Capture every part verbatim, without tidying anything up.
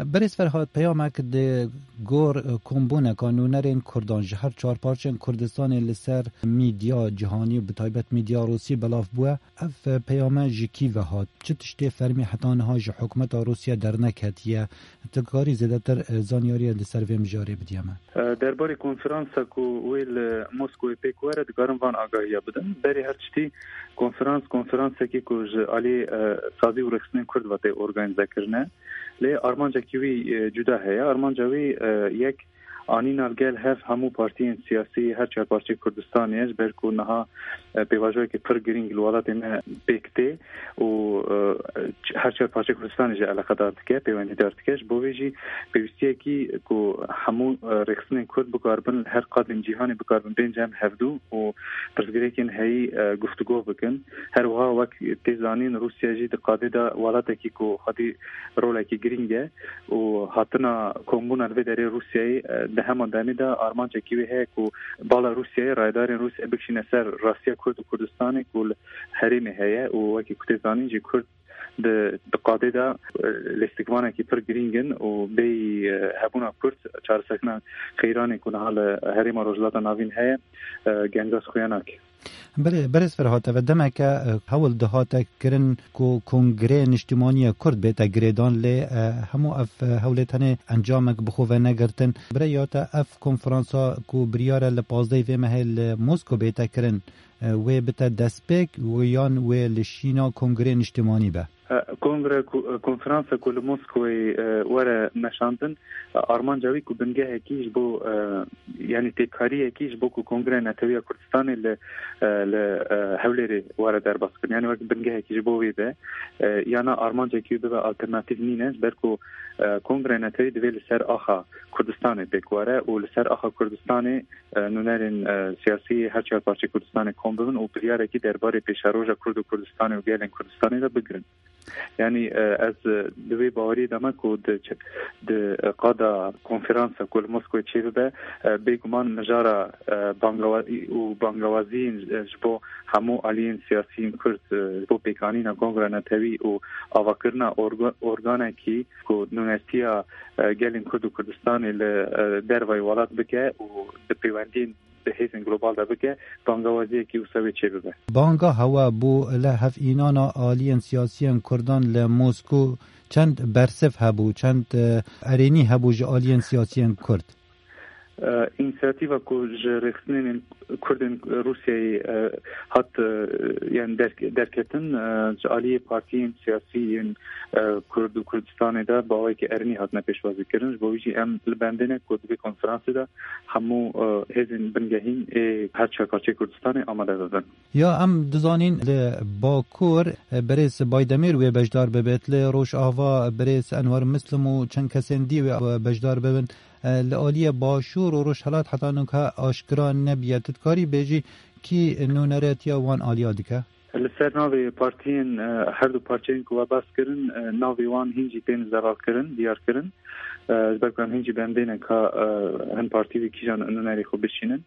Berêz Ferhat, peyamek di gor kombûneka nûnerên Kurdan ji her çar parçeyên Kurdistanê li ser mîdya cîhanî û bi taybet mîdya Rûsî belav bûye. Ev peyame ji kî ve hat? Çi tiştê fermî heta niha ji hikûmeta Rûsya derneketiye? Tu karî zêdetir, e, zanyariyê li ser vê mijarê bidî me? E, derbarê konferansa ku wê li Moskowê pêk were, dikarim van agahiya bidim. Berê her tiştî konferans, konferansekî ku ji alî, e, sazî û rêxistinên Kurd ve tê organîze kirine. Lê armancekî wî, e, cuda heye. Armanca wî, e, yek anîna li gel hev hemû partiyên siyasî her çar parçeyê Kurdistanê ye, ji ber ku niha, e, pêvajoyeke pir girîng li welatê me pêk tê û, e, her çar parçeyê Kurdistanê jî eleqedar dike, pêwendîdar dike. Ji bo vê jî pêwîstiyekî ku hemû, e, rêxistinên Kurd bikaribin li her qadên cîhanê bikaribin bên cem hevdû û pirsgirêkên heyî, e, guftûgo bikin. Her wiha wek tê zanîn, Rûsya jî di qadê de welatekî ku xwedî rolekî girîng e û hatina kombûna li vê derê Rûsyayê, e, di heman demê de armancekî wê heye ku bala Rûsyayê, rayedarên Rûsyayê bikişîne ser rastiya Kurd û Kurdistanê ku li herêmê heye û wekî ku tê zanîn jî Kurd di, di qadê de, e, lêstikvanekî pir girîng in û bêyî, e, hebûna Kurd çareserkirina qeyranê ku niha li herêma Rojhilata Navîn heye, e, genga xuya nake. Belê, berêz Ferhat, ev demeke, e, hewl dihate kirin ku Kongrê Niştimanî ya Kurd bête girêdan, lê, e, hemû ev, e, hewlê tenê encamek bi xwe venegirtin. Bi rêya te ev konferansa ku biryar e li pazdehê vê mehê li Mosko bête kirin, e, wê bite destpêk û yan wê li şîna Kongrê Niştimanî be? E, kongre ku, e, konferansa ku li Moskowê, e, were meşandin, e, armanca wî ku bingehekî ji bo, e, yanî têkariyekî ji bo ku Kongreya Netewî ya Kurdistanê li, e, li, e, Hewlêrê were derbas kirin. Yanî wek bingehekî ji bo wê be, e, yana armancekî wî bibe alternatîf nîne, ji ber ku, e, Kongreya Netewî divê li ser axa Kurdistanê pêk were û li ser axa Kurdistanê, e, nûnerên, e, siyasî her çar parçeyê Kurdistanê kom bibin û biryarekî derbarê pêşeroja Kurd û Kurdistanê û gelên Kurdistanê de bigirin. Yanî, e, ez, e, di wê baweriyê de me ku di ç-, di, e, qada konferansa ku li Moskowê çêbibe, e, bêguman mijara, e, bangawa-, û bangawaziyên, e, ji bo hemû aliyên siyasiyên Kurd, e, ji bo pêkanîna Kongra Netewî û avakirina orga-, organekî ku nûnertiya, e, gelên Kurd û Kurdistanê li, e, dervayî welat bike û di pêwendiyên di hêzên global de bike, bangawaziyekî wisa wê çêbibe. Banga hewa bû li hevînana aliyên siyasiyên Kurdan li Mosko çend bersiv hebû, çend, e, erênî hebû ji aliyên siyasiyên Kurd? E, însiyatîva ku ji rêxistinên Kurdên Rûsyayê, e, hat, e, yani derk-, derketin, e, ji aliyê partiyên siyasî yên, e, Kurd û Kurdistanê de bi awayekî erênî hatine pêşwazî kirin. Ji bo wî jî em li bendê ne ku di vê konferansê de hemû, e, hêzên bingehîn ê her çar parçeyê Kurdistanê amade bibin. Ya em dizanîn li Bakur, e, birêz Baydemîr wê beşdar bibêt, li Rojava birêz Enwer Muslim û çend kesên dî wê, e, beşdar bibin. E, li aliyê Başûr û Rojhelat heta nûke aşkira nebiye. Tu dikarî bêjî kî nûneretiya wan aliya dike? Li ser navê partiyên, e, her du parçeyên ku we behs kirin, e, navê wan hîn jî tên zelalkirin, diyarkirin. E, ji ber ku em hîn jî bendê ne ka, e, hin partî wî kîjan nûnerê xwe bişînin.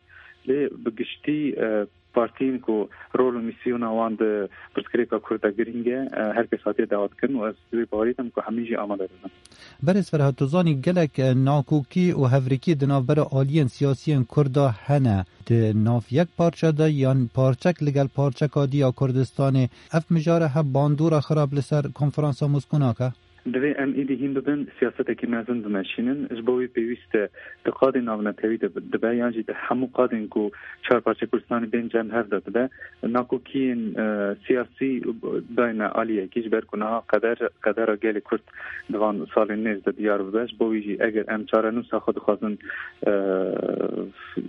Lê bi giştî, e, partiyên ku rol û mîsyona wan di pirsgirêka Kurd de girîng e, e, her kes hatiye dawetkirin û ez di wê bawerî de me ku hemî jî amade bibin. Berêz Ferhat, tu zanî gelek, e, nakokî û hevrikî di navbera aliyên siyasiyên Kurda hene. Di nav yek parçe de yan parçek li gel parçeka dî ya Kurdistanê, ev mijare hebe bandora xirab li ser konferansa Moskû nake? Divê em êdî hîn bibin siyasetekî mezin bimeşînin. Ji bo wî pêwîst e di qadên navnetewî de dibe, yan jî di hemû qadên ku çar parçe Kurdistanê bên cem hev de dibe. Nakokiyên, e, siyasî dayne aliyekî, ji ber ku niha qeder, qedera gelê Kurd di van salên nêz de diyar bibe. Ji bo wî jî eger em çarenûsa xwe dixwazin, e,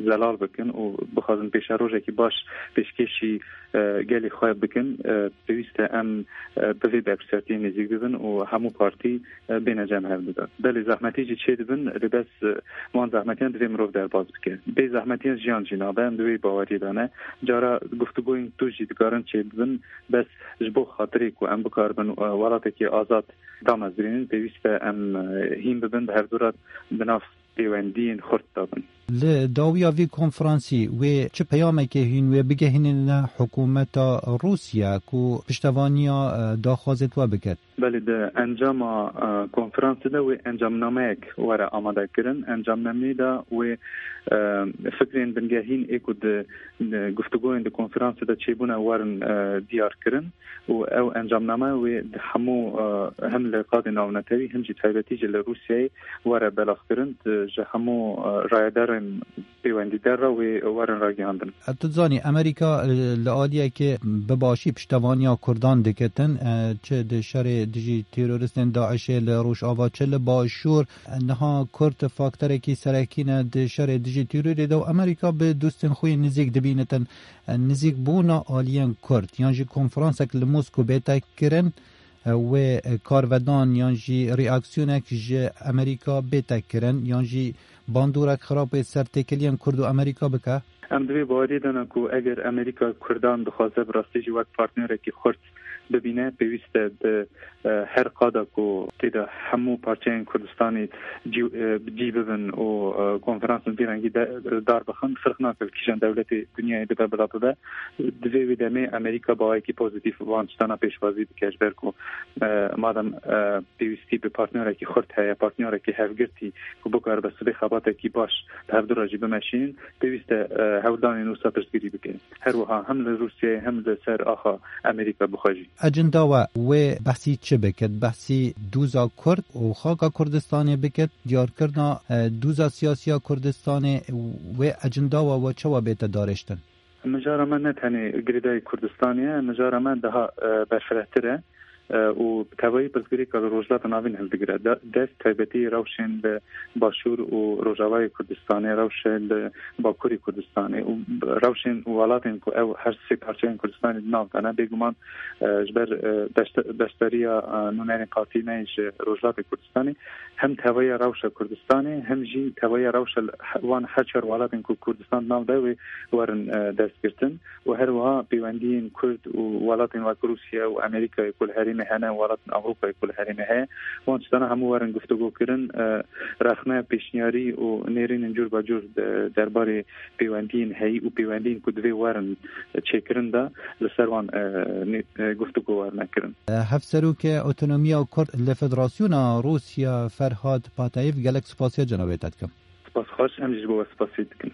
zelal bikin û bixwazin pêşerojekî baş pêşkêşî, e, gelê xwe bikin, e, pêwîst e em, e, bi vê berpirsiyatiyê nêzîk bibin û hemû partî, e, bêne cem hev dibe. Belê zehmetî jî çê dibin, lê bes, e, wan zehmetiyan divê mirov derbas bike. Bê zehmetiyan jiyan jî nabe, em di wê baweriyê de ne. Cara guftûgoyên tûj jî dikarin çê bibin, bes ji bo xatirê ku em bikaribin, e, welatekî azad damezdrînin, pêwîst e em, e, hîn bibin, bi hevdû re di nav pêwendiyên xurt de bin. Li dawiya vî konferansî wê çi peyamekê hîn wê bigehînine hikûmeta Rûsya ku piştevaniya, e, daxwazê we biket? Belê, di encama, e, konferansê de wê encamnameyek were amade kirin. Encamnameyê de wê, e, fikrên bingehîn ê ku di, di guftûgoyên di konferansê de çêbûne werin, e, diyar kirin û ew encamname wê di hemû, e, hem li qadê navnetewî hem jî taybetî jî li Rûsyayê were belavkirin, di, ji hemû, e, rayedarên pêwendîdar re wê werin ragihandin. E, tu zanî, Amerîka, e, li aliyekê bi başî piştevaniya Kurdan dikitin, e, çi di şerê dijî teroristên DAIŞê li Rojava, çi li Başûr, e, niha Kurd faktorekî serekî ne di şerê dijî terorê de û Amerîka bi dostên xwe yên nizîk dibînitin. E, nizîkbûna aliyên Kurd yan jî konferansek li Moskow bête kirin, e, wê, e, karvedan yan jî reaksiyonek ji Amerîka bête kirin yan jî bandorek xirab wê ser têkiliyên Kurd û Amerîka bike? Em di vê baweriyê de ne ku eger Amerîka Kurdan dixwaze bi rastî jî wek partnerekî xurt bibîne, pêwîst e di, e, her qada ku tê de hemû parçeyên Kurdistanê cî, e, bi cî bibin û, e, konferansên vî rengî de, dar bixin, firq nake li kîjan dewletê dinyayê bibe bila bibe. Di vê wê demê Amerîka bi awayekî pozîtîf van tiştana pêşwazî dike, ji ber ku, e, madem, e, pêwîstî bi partnerekî xurt heye, partnerekî hevgirtî ku bikaribe sibê xebatekî baş bi hevdu re jî bimeşînin, pêwîst e, e, hewldanên wisa piştgirî bikin. Her wiha hem li Rûsyayê hem li ser axa Amerîka bi xwe jî. Ecenda we wê behsî çi bikit? Behsî dûza Kurd û xaka Kurdistanê bikit, diyarkirina, e, dûza siyasiya Kurdistanê, wê ecenda we, we çawa bête darêştin? Mijara me ne tenê girêdayî Kurdistanê ye, mijara me daha, e, berfirehtir e, e, û bi tevayî pirsgirêka li Rojhilata Navîn hildigire. De-, dest taybetî rewşên li Başûr û Rojavayê Kurdistanê, rewşên li Bakurê Kurdistanê û rewşên û welatên ku ew her sê parçeyên Kurdistanê di nav de ne, bêguman, e, ji ber, e, beşte-, beşdariya, e, nûnerên qatîneyê ji Rojhilatê Kurdistanê, hem tevahiya rewşa Kurdistanê, hem jî tevahiya rewşa li he-, wan her çar welatên ku Kurdistan di nav de wê werin, e, destgirtin û her wiha pêwendiyên Kurd û welatên wek Rûsya û Amerîkayê ku li herêmê hene, welatên Ewropayê ku li herêmê heye, wan tiştana hemû werin guftûgo kirin, e, rexne, pêşniyarî û nêrînên cûr be cûr de-, derbarê pêwendiyên heyî û pêwendiyên ku divê werin çêkirin de li ser wan, e, nê-, e, guftûgo werine kirin. Hevserokê Otonomiya Kurd li Federasyona Rûsya Ferhad Patayîv, gelek spasiya cenabê te dikim. Spas xweş, em jî ji bo we spasî dikin.